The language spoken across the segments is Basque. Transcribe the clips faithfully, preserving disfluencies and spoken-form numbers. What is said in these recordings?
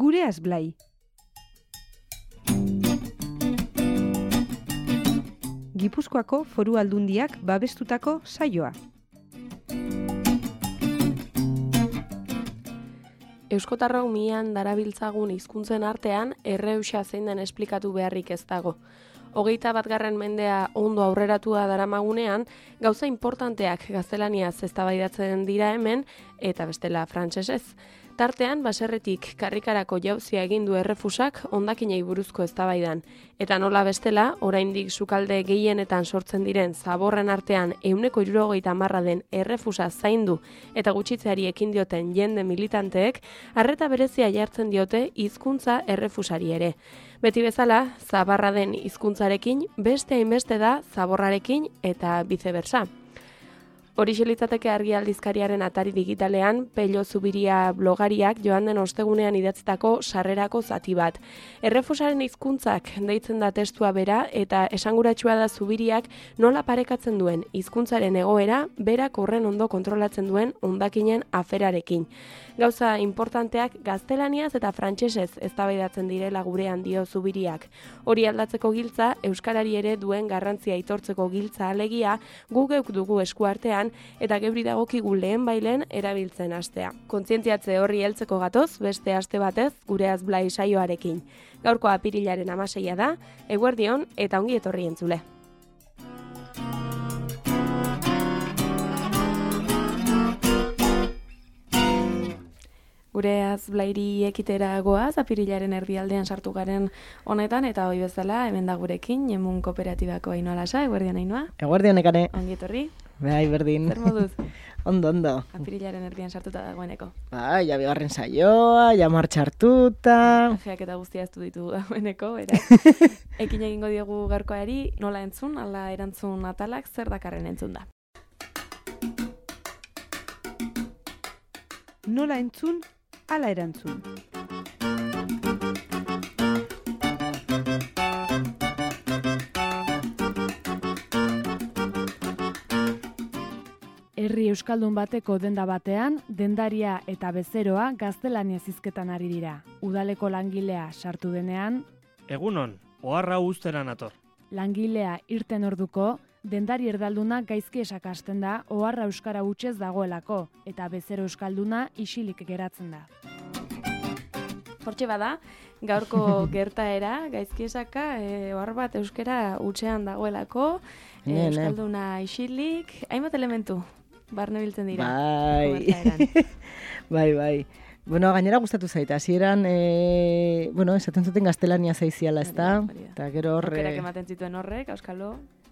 Gureaz Blai. Gipuzkoako Foru Aldundiak babestutako saioa. Euskotarrok mian darabiltzagun hizkuntzen artean erreuxa zein den esplikatu beharrik ez dago. Hogeita batgarren mendea ondo aurreratua daramagunean, gauza importanteak gaztelaniaz eztabaidatzen dira hemen eta bestela frantsesez. Tartean, baserretik karrikarako jauzia egin du errefusak hondakinei buruzko eztabaidan. Eta nola bestela, oraindik sukalde gehienetan sortzen diren zaborren artean ehuneko hirurogeita hamarra den errefusa zaindu eta gutxitzeari ekin dioten jende militanteek, arreta berezia jartzen diote hizkuntza errefusari ere. Beti bezala, zabarra den hizkuntzarekin, beste hainbeste da zaborrarekin eta viceversa. Horixe litzateke Argi aldizkariaren atari digitalean, Pello Zubiria blogariak joan den ostegunean idatzitako sarrerako zati bat. Errefusaren hizkuntzak deitzen da testua bera eta esanguratsua da Zubiriak nola parekatzen duen hizkuntzaren egoera berak horren ondo kontrolatzen duen hondakinen aferarekin. Gauza importanteak gaztelaniaz eta frantsesez eztabaidatzen direla gurean dio Zubiriak. Hori aldatzeko giltza, euskarari ere duen garrantzia aitortzeko giltza alegia, gu geuk dugu eskuartean eta gebri dagokigu lehen bailen erabiltzen hastea. Kontzientziatze horri heltzeko gatoz, beste aste batez, Gureaz Blai saioarekin. Gaurko apirilaren hamaseia da, eguerdion eta ongi etorri entzule. Gureaz Blairi ekitera goaz, apirilaren erdialdean sartu garen honetan, eta hoi bezala, hemen da gurekin, Emun Kooperatibako Ainhoa Lasa, eguerdion Ainhoa. Eguerdion ekane. Ongi etorri. Bai, berdin. Zer moduz? Ondo, ondo. Apirilaren erdian sartuta dagoeneko. Bai, ja bigarren saioa, ja martxartuta. Ajeak eta guztia ez du ditu dagoeneko, beraz. Ekin egingo diogu gaurkoari, nola entzun, ala erantzun atalak, zer dakarren entzun da. Nola entzun, ala erantzun. Herri euskaldun bateko denda batean, dendaria eta bezeroa gaztelaniaz hizketan ari dira. Udaleko langilea sartu denean, Egunon, oharra uztera nator. Langilea irten orduko, dendari erdalduna gaizki esakasten da oharra euskara hutsez dagoelako, eta bezero euskalduna isilik geratzen da. Hortxe bada, gaurko gertaera, gaizki esaka, e, ohar bat euskara hutsean dagoelako, e, Ne, ne. euskalduna isilik, hainbat elementu, barne biltzen dira. Bai. gertaeran. bai, bai. Bueno, gainera gustatu zaita. Hasieran, eh, bueno, esaten zuten gaztelania zaiziala, ezta? Hori da, hori da. Eta gero hor, Aukerak eh, ematen zituen horrek, auskalo.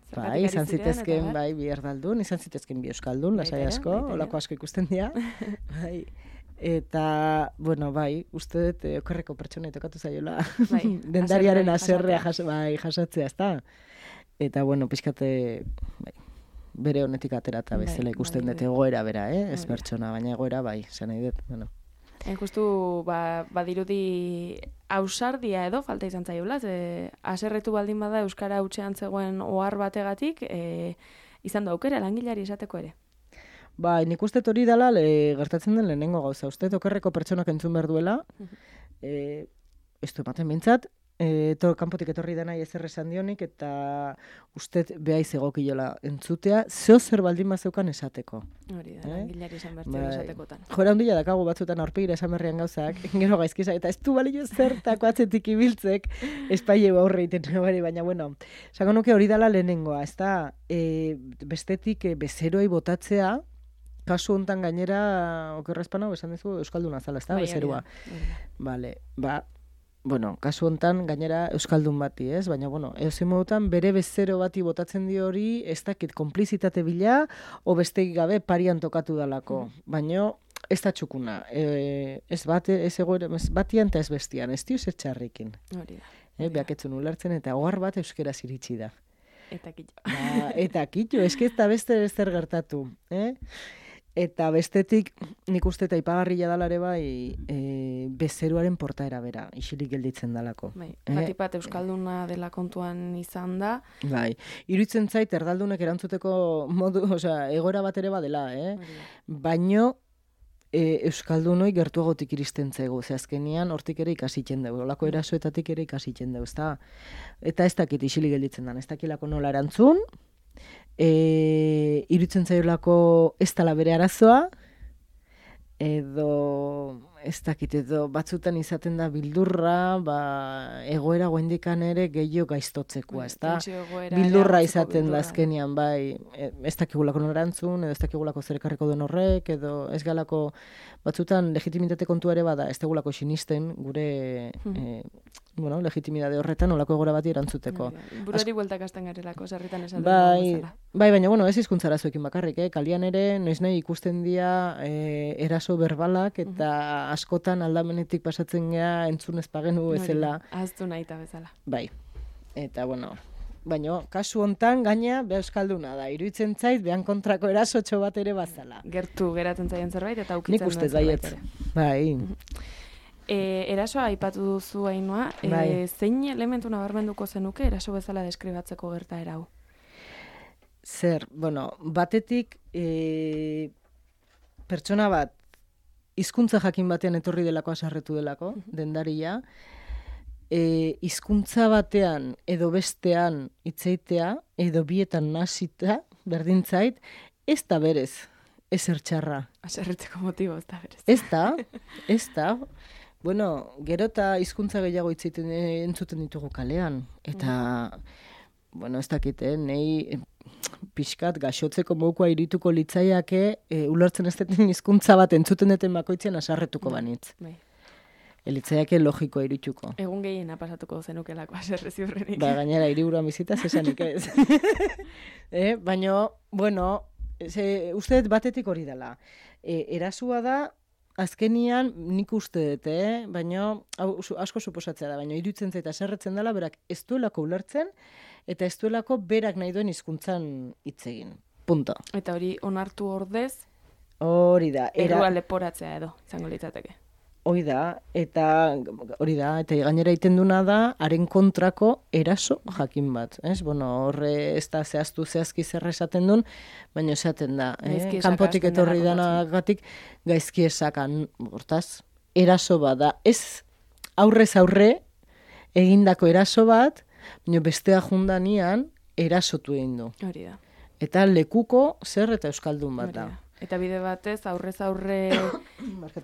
zergatik bai, ari izan ziren, zitezken, eta bar. bai, bi erdaldun, izan zitezken bi euskaldun, Baita lasai ere, asko, baita ere. holako asko ikusten dira. bai. Eta, bueno, bai, uste dut eh, okerreko pertsonei tokatu zaiola Bai, dendariaren haserrea haserrea jas, bai, jasatzea, ezta? Eta, bueno, pixkate, bai, bere honetik aterata Bai, bezala ikusten bai, dut bai. egoera bera, eh? Ez Hori da. pertsona, baina egoera bai, zen nahi dut, bueno. Hain justu, ba, badirudi ausardia edo falta izan zaiola, ze haserretu baldin bada euskara hutsean zegoen ohar bategatik, e, izan da aukera langilari esateko ere. Bai, nik uste hori dela le, gertatzen den lehenengo gauza. Uste okerreko pertsonak entzun behar duela, eh, ez du ematen bintzat, eh, to, kanpotik etorri denai ezer esan dionik, eta uste behaiz egokiola entzutea, zeo zer baldin bazeukan esateko. Hori da, Eh? langilari esan bertzea Bai. esatekotan. Jora handia dakagu batzutan aurpegira esan berrian gauzak, gero gaizkisa, eta ez du balio zertako atzetik ibiltzek, espaile aurre iten bari, baina bueno, esango nuke hori dela lehenengoa, ez da, e, bestetik e, bezeroi botatzea, kasu hontan gainera, okerrezpana, esan duzu, euskalduna zala, ez da, Bai, hori da, bezerua. hori da. Vale, ba, bueno, kasu hontan gainera euskaldun bati, ez? Baina, bueno, edozein modutan bere bezero bati botatzen dio hori, ez dakit konplizitate bila, o besteik gabe parian tokatu dalako. Baina, ez da txukuna. E, ez, bate, ez, egoera, ez batian eta ez bestian, ez dio zer txarrikin. Hori da. Eh, behaketzun ulertzen eta ohar bat euskeraz iritsi da. Eta kitxo. Ba, eta kitxo, eske ez da beste zer gertatu. Eh? Eta bestetik, nik uste eta ipagarria dalare bai, e, bezeruaren portaera bera, isilik gelditzen dalako. Bai, Eh? batik bat euskalduna dela kontuan izan da. Bai, iruditzen zait erdaldunek erantzuteko modu, osea, egoera bat ere badela, eh? Hori da. Baino, e, Euskaldunoi gertuagotik iristen zaigu, ze azkenian hortik ere ikasitzen dugu, olako erasoetatik ere ikasitzen dugu, ezta? Eta ez dakit isili gelditzen da, ez dakilako nola erantzun, e, iruditzen zaiolako ez dela bere arazoa, edo ez dakit, edo batzutan izaten da bildurra, ba, egoera goendikan ere gehiago gaiztotzekoa, ez da? Bildurra izaten da azkenian, bai, ez dakigulako norantzun, edo ez dakigulako zer ekarriko duen horrek, edo ez galako, batzutan legitimitate kontua ere bada, ez degulako sinisten gure, hmm. e, bueno, legitimidade horretan olako egora bati erantzuteko. Burari bueltak hasten garelako, sarritan esan bai, bai, baina, bueno, ez hizkuntzara zuekin bakarrik, eh? Kalian ere, noiz nahi ikusten dira e, eraso berbalak, eta uh-huh. askotan aldamenetik pasatzen gea entzun ez pagenu ezela. Ahaztu nahi eta bezala. Bai, eta, bueno, baina, kasu hontan gaina be euskalduna da, iruditzen zait, behan kontrako erasotxo bat ere bazala. Gertu geratzen zaien zerbait, eta ukitzen duen zerbait ere. Bai. Uh-huh. E, erasoa aipatu duzu Ainhoa, bai. e, zein elementu nabarmenduko zenuke eraso bezala deskribatzeko gertaera hau? Zer, bueno, batetik e, pertsona bat hizkuntza jakin batean etorri delako asarretu delako, uh-huh. dendaria, e, hizkuntza batean edo bestean hitzeitea edo bietan nasita, berdintzait, ez da berez, ez ertxarra. Asarretzeko motibo, ez da berez. Ez da, ez da. Bueno, gero eta hizkuntza gehiago hitzeiten entzuten ditugu kalean. Eta, mm. bueno, ez dakite, nei pixkat gaxotzeko mokoa irituko litzaiake, e, ulertzen ez deten hizkuntza bat entzuten deten bakoitzen asarretuko mm. banitz. Bai. Elitzaiake logikoa irituko. Egun gehiena pasatuko zenukelako aserre ziurrenik. Ba, gainera, hiriburuan bizitaz esanik ez. eh, Baina, bueno, ze, uste batetik hori dela. E, erasua da, azkenian nik uste dut, eh? Baina asko suposatzea da, baina iruditzen zait aserretzen dela, berak ez duelako ulertzen, eta ez duelako berak nahi duen hizkuntzan hitz egin. Punto. Eta hori onartu ordez, hori da. Errua leporatzea edo, izango litzateke. Hori da, eta hori da, eta gainera egiten duna da, haren kontrako eraso jakin bat. Ez? Bueno, horre ez da zehaztu zehazki zer esaten duen, baina esaten da. Eh? Kanpotik etorri danagatik gaizki esakan. Hortaz, eraso bat da. Ez aurrez aurre egindako eraso bat, baina bestea jundanian erasotu egin du. Hori da. Eta lekuko zer eta euskaldun bat da. Eta bide batez, aurrez aurre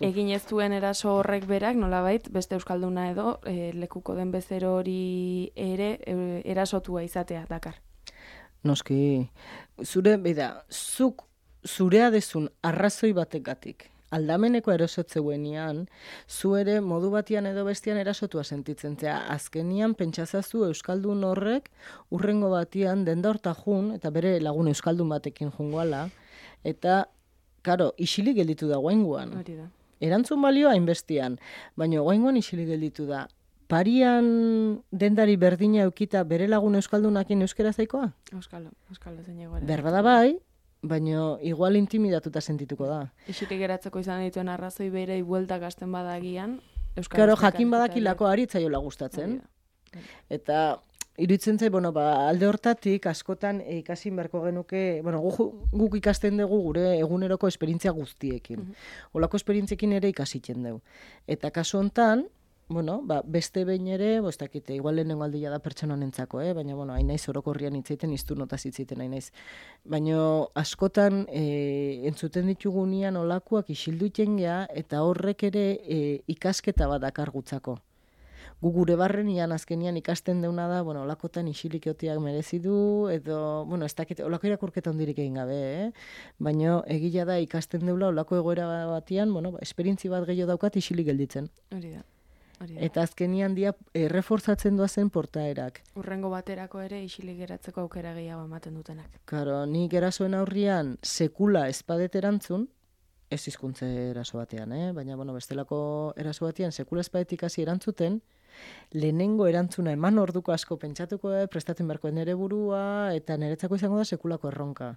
egin ez duen eraso horrek berak, nolabait, beste euskalduna edo, e, lekuko den bezero hori ere e, erasotua izatea dakar. Noski, zure, bida, zuk zurea dezun arrazoi bategatik, aldameneko erosotzeguenian, zu ere modu batian edo bestian erasotua sentitzen zea, azkenian pentsazazu euskaldun horrek urrengo batian denda horta jun, eta bere lagun euskaldun batekin jungoala, eta karo, isili gelditu da guainguan. Hori da. Erantzun balioa hainbestian, baina guainguan isili gelditu da. Parian dendari berdina eukita bere lagun euskaldunakin euskera zaikoa? Euskalo, euskalo zein egoera. Berbada bai, baina igual intimidatuta sentituko da. Isili geratzeko izan dituen arrazoi bere bueltak hasten badagian, euskal. Karo, jakin badakilako aritzaiola gustatzen. Eta iruditzen zait, bueno, ba, alde hortatik askotan e, ikasi beharko genuke, bueno, guk, guk ikasten dugu gure eguneroko esperientzia guztiekin. Uh-huh. Olako esperientziekin ere ikasitzen dugu. Eta kasu hontan, bueno, ba, beste behin ere, bo, ez dakite, igual lehenengo aldia da pertsona honentzako, eh? Baina, bueno, hain naiz orokorrian hitzeiten, iztu notaz hitzeiten hain naiz. Baina askotan e, entzuten ditugunean olakoak isilduiten gea, eta horrek ere e, ikasketa bat dakar gutzako. Gu gure barrenian azkenian ikasten deuna da, bueno, olakotan isilik eotiak merezi du, edo, bueno, ez dakit, olako irakurketa hondirik egin gabe, eh? Baina egila da ikasten deula olako egoera batian, bueno, esperientzi bat gehiago daukat isilik gelditzen. Hori da. Hori da. Eta azkenian dia erreforzatzen doazen portaerak. Urrengo baterako ere isilik geratzeko aukera gehiago ematen dutenak. Karo, ni gerasoen aurrian sekula espadet erantzun, ez hizkuntze eraso batean, eh? Baina, bueno, bestelako eraso batean sekula espadetik hasi erantzuten, lehenengo erantzuna eman orduko asko pentsatuko, eh, prestatzen beharko nere burua, eta niretzako izango da sekulako erronka.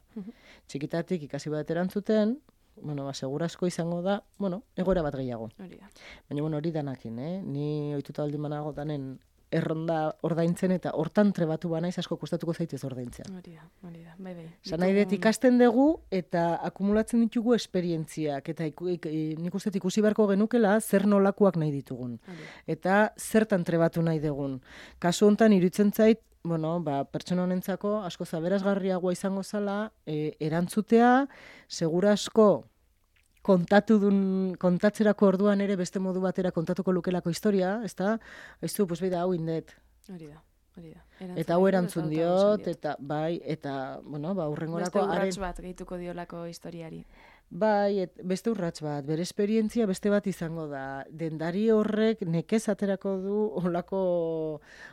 Txikitatik ikasi bat erantzuten, bueno, ba, segurazko izango da, bueno, egoera bat gehiago. Hori da. Baina, bueno, hori danakin, eh? Ni ohituta baldin banago danen erronda ordaintzen eta hortan trebatu banaiz asko kostatuko zaitez ordaintzea. Hori da, hori da, bai, bai. Zan nahi dut ikasten dugu eta akumulatzen ditugu esperientziak eta iku, ik, nik uste ikusi beharko genukela zer nolakoak nahi ditugun. Hori. Eta zertan trebatu nahi dugun. Kasu honetan iruditzen zait, bueno, ba, pertsona honentzako asko zaberazgarriagoa izango zala, e, erantzutea, segura asko kontatu dun, kontatzerako orduan ere beste modu batera kontatuko lukelako historia, ezta? Aizu, pues beida, hau indet. Hori da, hori da. Eta hau erantzun diot, eta bai, eta, bueno, ba, urrengorako... Beste urrats bat gehituko diolako historiari. Bai, et, beste urrats bat, bere esperientzia beste bat izango da. Dendari horrek nekez aterako du olako,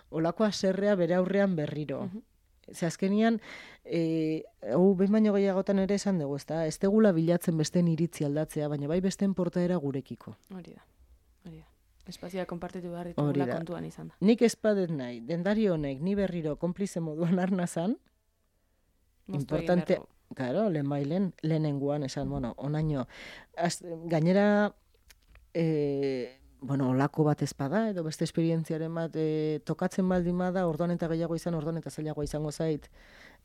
olako aserrea bere aurrean berriro. Uh-huh. Ze azkenian, e, hau behin baino gehiagotan ere esan dugu, ezta? Ez tegula bilatzen besteen iritzi aldatzea, baina bai besteen portaera gurekiko. Hori da, hori da. Espazioa konpartitu behar ditugula kontuan izan da. Nik espadet nahi, dendari honek ni berriro konplize moduan arnazan, importante, claro, lehen bailen, lehenenguan esan, bueno, onaino, az, gainera, e, bueno, olako bat ezpada, edo beste esperientziaren bat e, tokatzen baldin bada, orduan eta gehiago izan, orduan eta zailagoa izango zait,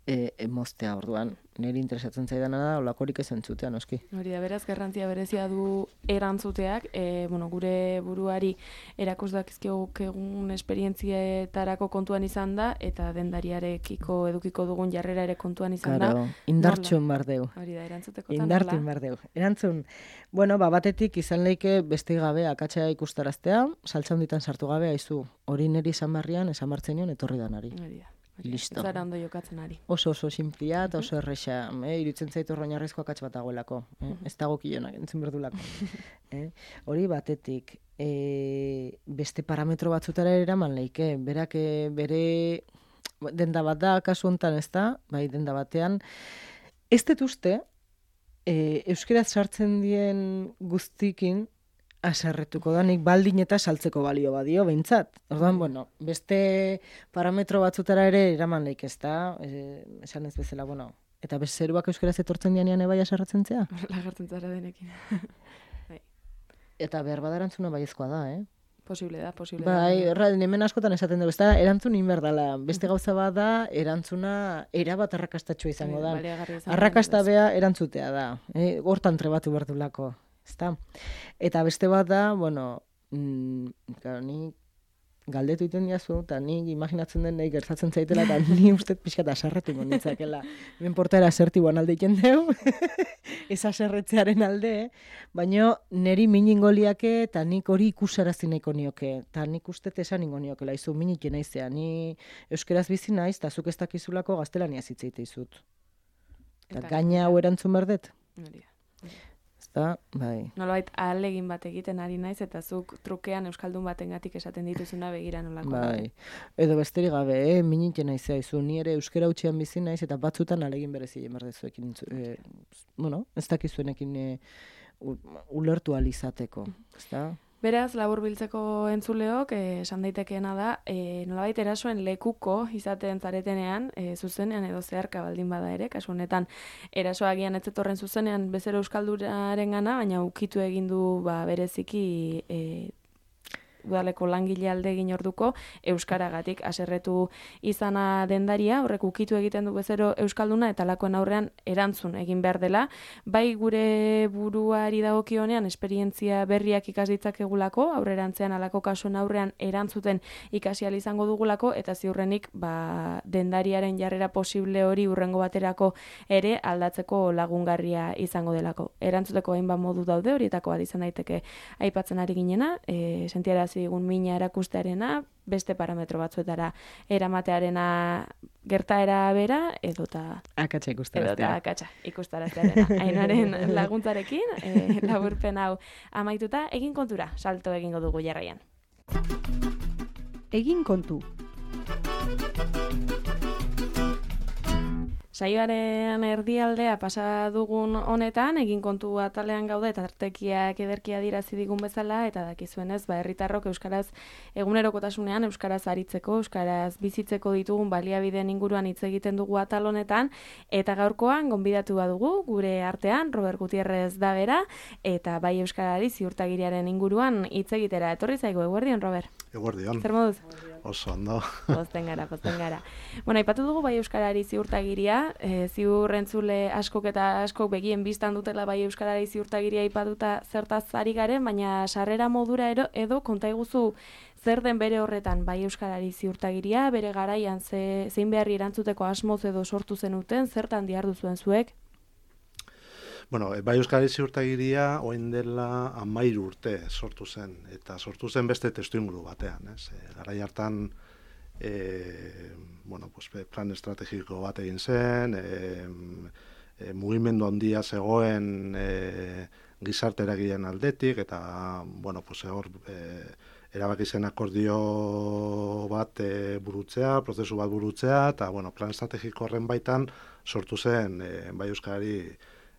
e, e, moztea orduan. Niri interesatzen zaidana da, olakorik ez entzutea, noski. Hori da, beraz, garrantzia berezia du erantzuteak, e, bueno, gure buruari erakus dakizkiok egun esperientzietarako kontuan izan da, eta dendariarekiko edukiko dugun jarrera ere kontuan izan claro, da. Indartxun bardeu. Hori da, erantzuteko Indartun bardeu. Erantzun, bueno, ba, batetik izan leike beste gabe akatsa ikustaraztea, saltza honditan sartu gabe, aizu, hori niri esan barrian, esan martzen nion, etorri danari. Hori da. Listo. Zara ondo jokatzen ari. Oso oso simplia eta oso erresa. Eh? Irutzen zaitu oinarrizko akats bat dagoelako. Eh? Ez dago kilonak, entzun berdulako. eh? Hori batetik. E, beste parametro batzutara eraman leike. Berak bere denda bat da, kasu hontan ez da, bai denda batean. Ez dut uste, e, euskeraz sartzen dien guztikin, aserretuko da, nik baldin eta saltzeko balio badio, behintzat. Orduan, bueno, beste parametro batzutara ere eraman leik ez da, e, esan ez bezala, bueno, eta bezeruak euskeraz etortzen dianean ebai aserretzen zea? Lagartzen zara denekin. Eta behar badarantzuna baiezkoa da, eh? Posible da, posible bai, da. Bai, hemen askotan esaten dugu, ez da, erantzun inberdala. Beste gauza bat da, erantzuna erabat arrakastatxua izango da. Arrakasta bea erantzutea da. Eh? Hortan trebatu berdulako. Ezta? Eta beste bat da, bueno, mm, claro, ni galdetu iten diazu, eta ni imaginatzen den nahi gertatzen zaitela, eta ni uste pixka eta aserretu gonditzakela. Hemen portaera asertiboan alde iten deu, ez aserretzearen alde, baina neri miningoliake eta nik hori ikusarazi nahiko nioke, eta nik uste esan ingo niokela, izu minike naizea, ni euskeraz bizi naiz, eta zuk ez dakizulako gaztelania zitzeite izut. Eta gaina hau erantzun berdet? Hori da. Da, bai. Nolabait ahalegin bat egiten ari naiz eta zuk trukean euskaldun batengatik esaten dituzuna begira nolako. Bai. Edo besterik gabe, eh, minite naizea izu, ni ere euskara utxean bizi naiz eta batzutan ahalegin berezi emerdezuekin, eh, bueno, ez dakizuenekin eh, ulertu alizateko, ezta? Beraz, labur biltzeko entzuleok, esan daitekeena da, e, nolabait erasoen lekuko izaten zaretenean, e, zuzenean edo zeharka baldin bada ere, kasu honetan erasoagian ez zetorren zuzenean bezero euskalduraren gana, baina ukitu egin du ba, bereziki e, udaleko langile alde egin orduko euskaragatik haserretu izana dendaria, horrek ukitu egiten du bezero euskalduna eta lakoen aurrean erantzun egin behar dela, bai gure buruari dagokionean esperientzia berriak ikas ditzakegulako, aurrerantzean alako kasuen aurrean erantzuten ikasi ahal izango dugulako eta ziurrenik ba, dendariaren jarrera posible hori urrengo baterako ere aldatzeko lagungarria izango delako. Erantzuteko hainbat modu daude, horietako bat izan daiteke aipatzen ari ginena, e, sentiara digun mina erakustearena, beste parametro batzuetara eramatearena gertaera bera, edota akatsa ikustaraztea. Edota akatsa ikustaraztearena. Ainaren laguntzarekin, e, laburpen hau amaituta, egin kontura, salto egingo dugu jarraian. Egin kontu. Saioaren erdialdea pasa dugun honetan, egin kontu atalean gaude eta artekiak ederkia dirazi digun bezala, eta dakizuenez, ba, herritarrok euskaraz egunerokotasunean, euskaraz aritzeko, euskaraz bizitzeko ditugun baliabideen inguruan hitz egiten dugu atal honetan, eta gaurkoan gonbidatu badugu gure artean, Robert Gutierrez da bera, eta bai euskarari ziurtagiriaren inguruan hitz egitera. Etorri zaigu, eguerdion, Robert? Eguerdion. Zer moduz? Oso ondo. Pozten gara, pozten gara. Bueno, aipatu dugu Bai Euskarari ziurtagiria, e, ziur entzule askok eta askok begien biztan dutela Bai Euskarari ziurtagiria aipatuta zertaz ari garen, baina sarrera modura ero, edo konta iguzu zer den bere horretan Bai Euskarari ziurtagiria, bere garaian ze, zein beharri erantzuteko asmoz edo sortu zenuten, zertan dihardu zuen zuek? Bueno, Bai Euskarari ziurtagiria orain dela hamairu urte sortu zen, eta sortu zen beste testuinguru batean, ez? E, garai hartan e, bueno, pues, plan estrategiko bat egin zen, e, e, mugimendu handia zegoen e, gizarte eragileen aldetik, eta bueno, pues, hor e, erabaki zen akordio bat e, burutzea, prozesu bat burutzea, eta bueno, plan estrategiko horren baitan sortu zen e, Bai Euskarari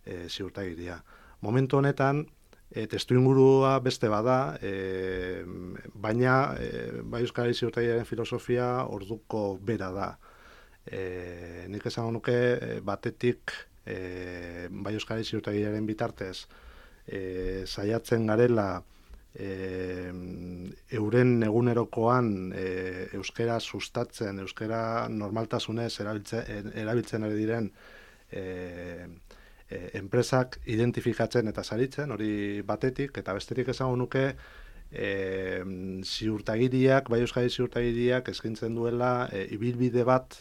E, ziurtagiria. Momentu honetan, e, testuingurua beste bada, e, baina e, Bai Euskarari ziurtagiriaren filosofia orduko bera da. E, nik esango nuke e, batetik e, Bai Euskarari ziurtagiriaren bitartez e, saiatzen garela e, euren egunerokoan e, euskara sustatzen, euskara normaltasunez erabiltzen, erabiltzen ari diren e, enpresak identifikatzen eta saritzen, hori batetik, eta bestetik esango nuke e, ziurtagiriak, Bai Euskari ziurtagiriak eskaintzen duela e, ibilbide bat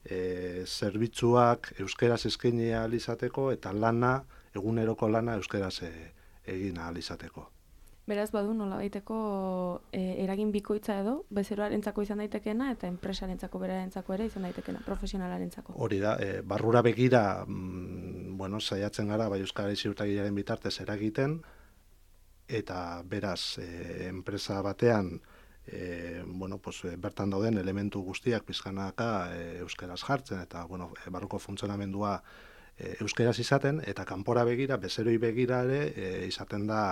e, zerbitzuak euskeraz eskaini ahal izateko eta lana, eguneroko lana euskeraz e, egin ahal izateko. Beraz, badu nolabaiteko e, eragin bikoitza edo, bezeroarentzako izan daitekeena eta enpresarentzako berarentzako ere izan daitekeena, profesionalarentzako. Hori da, e, barrura begira, mm, bueno, saiatzen gara Bai Euskarari ziurtagiriaren bitartez eragiten, eta beraz, e, enpresa batean, e, bueno, pues, bertan dauden elementu guztiak pizkanaka e, euskaraz jartzen, eta bueno, e, barruko funtzionamendua e, euskaraz izaten, eta kanpora begira, bezeroi begira ere, e, izaten da,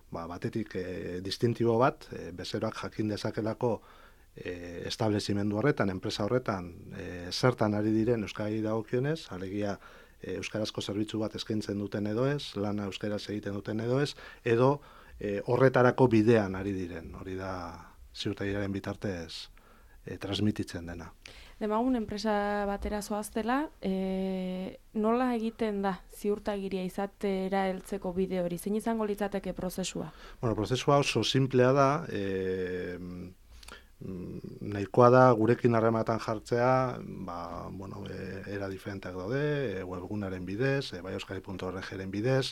Ba, batetik e, distintibo bat, e, bezeroak jakin dezakelako e, establezimendu horretan, enpresa horretan, e, zertan ari diren euskarari dagokionez, alegia e, euskarazko zerbitzu bat eskaintzen duten edo ez, lana euskaraz egiten duten edo ez, edo e, horretarako bidean ari diren, hori da ziurtagiriaren bitartez e, transmititzen dena. Demagun enpresa batera zoaztela, e, nola egiten da ziurtagiria izatera heltzeko bide hori? Zein izango litzateke prozesua? Bueno, prozesua oso simplea da, e, nahikoa da gurekin harremanetan jartzea, ba, bueno, e, era diferenteak daude, e, webgunaren bidez, e, bai euskari puntu org-ren bidez,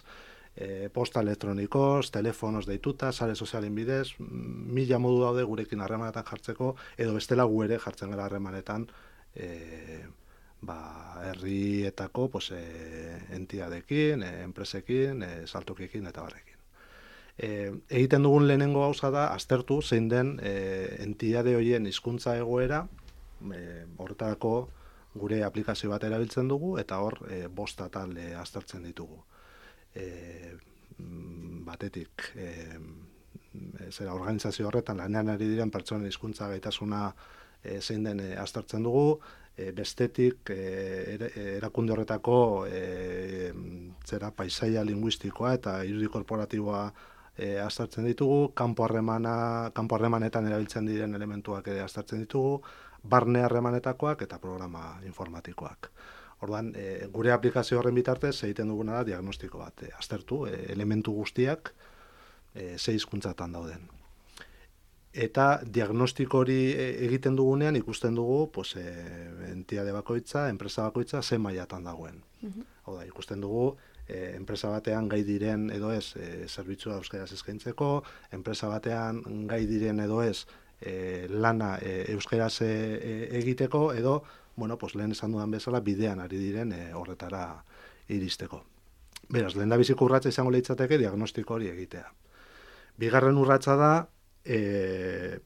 e, posta elektronikoz, telefonoz deituta, sare sozialen bidez, mila modu daude gurekin harremanetan jartzeko, edo bestela gu ere jartzen gara harremanetan e, ba, herrietako pues, e, entidadekin, e, enpresekin, e, saltokiekin eta barrekin. E, egiten dugun lehenengo gauza da, aztertu zein den e, entidade horien hizkuntza egoera, e, horretarako gure aplikazio bat erabiltzen dugu, eta hor e, bost atal e, aztertzen ditugu. E, batetik e, zera organizazio horretan lanean ari diren pertsonen hizkuntza gaitasuna e, zein den e, aztertzen dugu, e, bestetik e, erakunde horretako e, zera paisaia linguistikoa eta irudi korporatiboa e, aztertzen ditugu, kanpo harremana, kanpo harremanetan erabiltzen diren elementuak ere aztertzen ditugu, barne harremanetakoak eta programa informatikoak. Orduan, e, gure aplikazio horren bitartez egiten duguna da diagnostiko bat, e, aztertu e, elementu guztiak e, ze hizkuntzatan dauden. Eta diagnostiko hori egiten dugunean ikusten dugu, pues, e, entitate bakoitza, enpresa bakoitza ze mailatan dagoen. Uh-huh. Hau da, ikusten dugu e, enpresa batean gai diren edo ez e, zerbitzua euskaraz eskaintzeko, enpresa batean gai diren edo ez e, lana e, euskaraz e, e, egiteko edo bueno, pues lehen esan dudan bezala bidean ari diren e, horretara iristeko. Beraz, lehen da biziko urratsa izango litzateke diagnostiko hori egitea. Bigarren urratsa da e,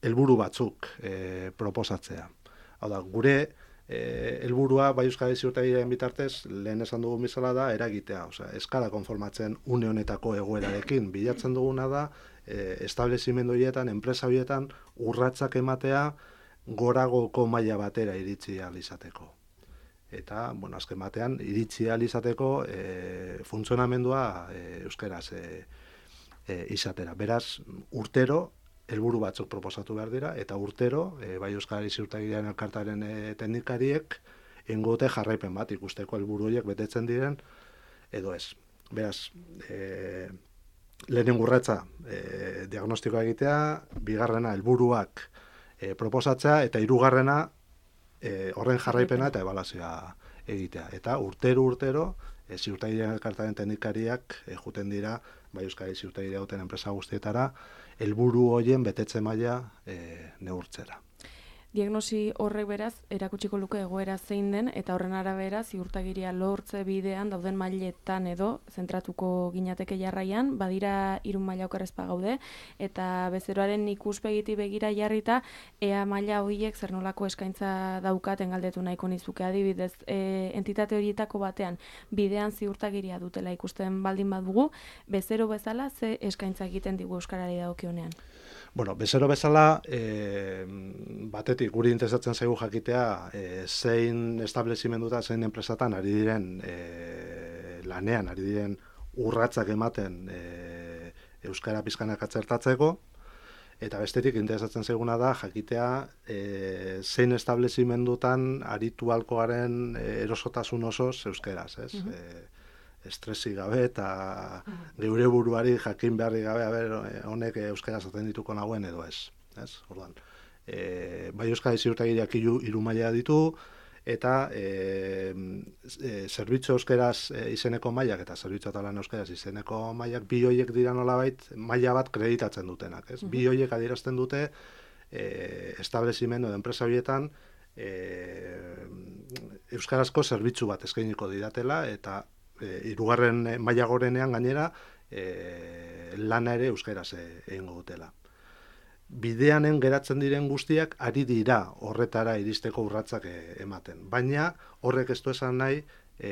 helburu batzuk e, proposatzea. Hau da, gure e, helburua Bai Euskari ziurtagiriaren bitartez lehen esan dugun bezala da eragitea. Osea, ez gara konformatzen une honetako egoerarekin. Bilatzen duguna da e, establezimendu horietan, enpresa horietan urratsak ematea goragoko maila batera iritsi ahal izateko. Eta, bueno, azken batean, iritsi ahal izateko e, funtzionamendua e, euskaraz e, e, izatera. Beraz, urtero helburu batzuk proposatu behar dira, eta urtero, e, bai Euskarari Ziurtagiriaren Elkartearen e, teknikariek ingote jarraipen bat ikusteko helburu horiek betetzen diren, edo ez. Beraz, e, lehenen urratza e, diagnostikoa egitea, bigarrena helburuak e, proposatzea, eta hirugarrena e, horren jarraipena eta ebaluazioa egitea. Eta urtero-urtero, e, Ziurtagiriaren Elkartearen teknikariak e, juten dira, bai Euskari Ziurtagiria duten enpresa guztietara, helburu horien betetze maila e, neurtzera. Diagnosi horrek beraz, erakutsiko luke egoera zein den, eta horren arabera ziurtagiria lortze bidean dauden mailetan edo zentratuko ginateke jarraian, badira hiru maila okerrezpa gaude, eta bezeroaren ikuspegiti begira jarrita, ea maila horiek zer nolako eskaintza daukaten galdetu nahiko nizuke adibidez, e, entitate horietako batean bidean ziurtagiria dutela ikusten baldin badugu, bezero bezala ze eskaintza egiten digu euskarari dagokionean. Bueno, bezero bezala, e, batetik guri interesatzen zaigu jakitea e, zein establezimenduta, zein enpresatan ari diren e, lanean, ari diren urratzak ematen e, euskara pizkanak atzertatzeko, eta bestetik interesatzen zaiguna da jakitea e, zein establezimendutan aritu halko garen e, erosotasun osoz euskeraz, ez? Uh-huh. e, estresi gabe eta geure buruari jakin beharri gabe, a ber, honek euskara zaten dituko nagoen edo ez. Ez? Orduan, e, bai Euskari Ziurtagiriak hiru hiru maila ditu, eta e, e, zerbitzu euskeraz e, izeneko mailak eta zerbitzu eta lan euskeraz izeneko mailak bi hoiek dira nolabait maila bat kreditatzen dutenak. Ez? Bi hoiek adierazten dute e, establezimendu edo enpresa horietan e, euskarazko zerbitzu bat eskainiko didatela, eta E, hirugarren maila gorenean gainera e, lana ere euskaraz egingo dutela. Bideanen geratzen diren guztiak ari dira horretara iristeko urratsak e, ematen, baina horrek ez du esan nahi e,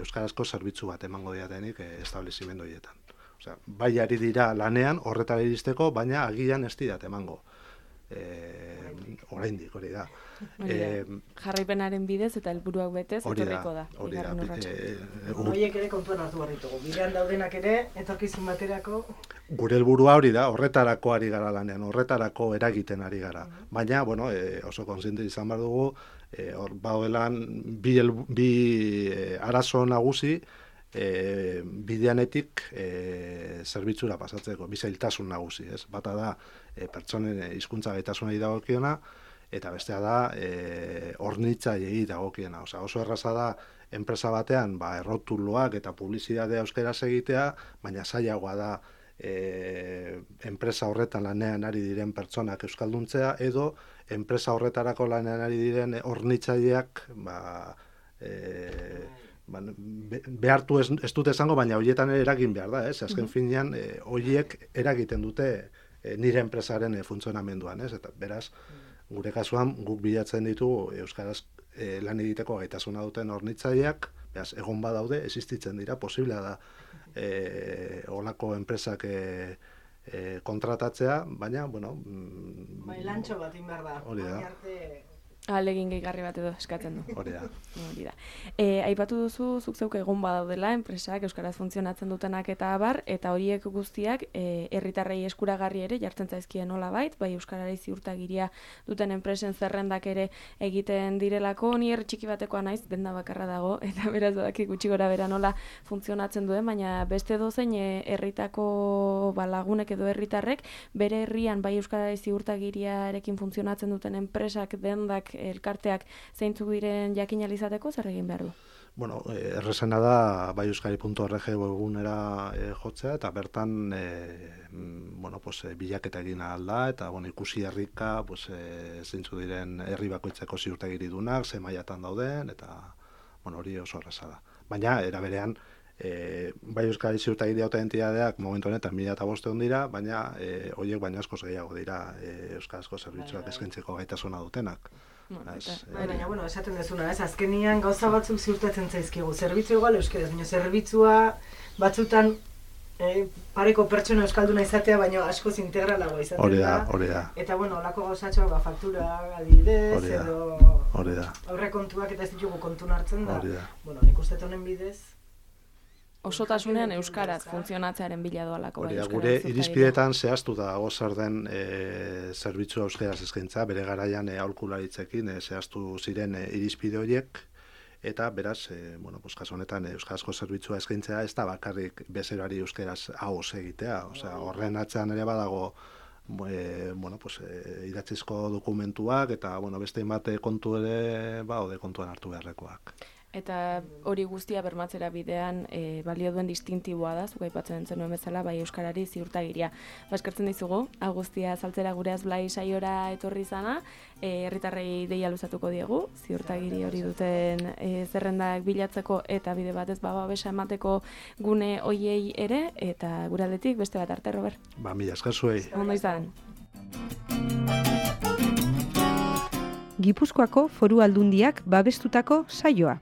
euskarazko zerbitzu bat emango diatenik e, establezimendu horietan. Osea, bai ari dira lanean horretara iristeko, baina agian ez didat emango. Eh, oraindik hori da. Eh, jarraipenaren bidez eta helburuak betez etorriko da. Hori da. Horiek ere kontuan hartu behar ditugu. Bidean daudenak ere etorkizun baterako. Gure helburua hori da, horretarako ari gara lanean, horretarako eragiten ari gara. Baina, bueno, e, oso kontziente izan behar dugu, e, hor baudelan bi, bi e, arazo nagusi, E, bideanetik e, zerbitzura pasatzeko, bi zailtasun nagusi, ez? Bata da e, pertsonen hizkuntza gaitasunei dagokiona, eta bestea da e, hornitzaileei dagokiena. Osea, oso erraza da enpresa batean ba, errotuloak eta publizitatea euskaraz egitea, baina zailagoa da e, enpresa horretan lanean ari diren pertsonak euskalduntzea, edo enpresa horretarako lanean ari diren hornitzaileak ba, e, behartu ez, ez dute esango, baina horietan ere eragin behar da, ez? Azken mm-hmm. finean, e, horiek eragiten dute e, nire enpresaren e, funtzionamenduan, ez? Eta beraz, gure kasuan, guk bilatzen ditugu euskaraz e, lan egiteko gaitasuna duten hornitzaileak, beraz, egon badaude, existitzen dira, posiblea da e, olako enpresak e, e, kontratatzea, baina, bueno... Mm, bai, lantxo bat inbar da. Hori da. Alegin gehigarri bat edo eskatzen du. Hori da. Hori da. E, aipatu duzu, zuk zeuk egon badaudela, enpresak euskaraz funtzionatzen dutenak eta abar, eta horiek guztiak e, herritarrei eskuragarri ere jartzen zaizkien nolabait, bai euskarari ziurtagiria duten enpresen zerrendak ere egiten direlako, ni herri txiki batekoa naiz, denda bakarra dago, eta beraz badaki gutxi gora bera nola funtzionatzen duen, baina beste dozein herritako ba, lagunek edo herritarrek, bere herrian bai euskarari ziurtagiriarekin funtzionatzen duten enpresak dendak elkarteak zeintzuk diren jakin alizateko zer egin behar du? Bueno, errezena da bai euskari puntu org webgunera e, jotzea, eta bertan e, bueno, pues, e, bilaketa egin ahal da, eta bueno, ikusi herrika pues, e, zeintzuk diren herri bakoitzeko ziurtagiridunak, ze mailatan dauden, eta bueno, hori oso erraza da. Baina, era berean, e, bai euskari ziurtagiria duten entitateak momentu honetan mila eta bosteun dira, baina e, horiek baina askoz gehiago dira e, euskarazko zerbitzuak eskaintzeko gaitasuna dutenak. Baina, baina, bueno, esaten dezuna, ez, azkenian gauza batzuk ziurtatzen zaizkigu. Zerbitzu igual euskaraz, baina zerbitzua batzutan eh, pareko pertsona euskalduna izatea, baina askoz integralagoa izaten hori da. Hori da. Eta, bueno, olako gauzatxoak, ba, faktura adibidez, edo hori da. aurrekontuak eta ez ditugu kontun hartzen da. Hori da. Bueno, nik uste honen bidez, osotasunean euskaraz funtzionatzearen bila doalako. Hori bai, da, euskara gure ziurtagiria. irizpidetan zehaztu da zer den e, zerbitzu euskaraz eskaintza, bere garaian e, aholkularitzekin e, zehaztu ziren e, irizpide horiek, eta beraz, e, bueno, pues, kasu honetan e, euskarazko zerbitzua eskaintzea ez da bakarrik bezeroari euskaraz ahoz egitea, osea, horren atzean ere badago e, bueno, pues, e, idatzizko dokumentuak eta bueno, beste hainbat kontu ere baude kontuan hartu beharrekoak. Eta hori guztia bermatzera bidean e, balio duen distintiboa da, zuk aipatzen zenuen bezala, bai euskarari ziurtagiria. Ba, eskertzen dizugu, hau guztia saltzera gureaz Blai saiora etorri zana, e, herritarrei deia luzatuko diegu, ziurtagiri hori duten e, zerrendak bilatzeko eta bide batez ba, babesa emateko gune hoiei ere, eta gure aldetik beste bat arte, Robert. Ba, mila esker zuei. Ondo izan. Gipuzkoako Foru Aldundiak babestutako saioa.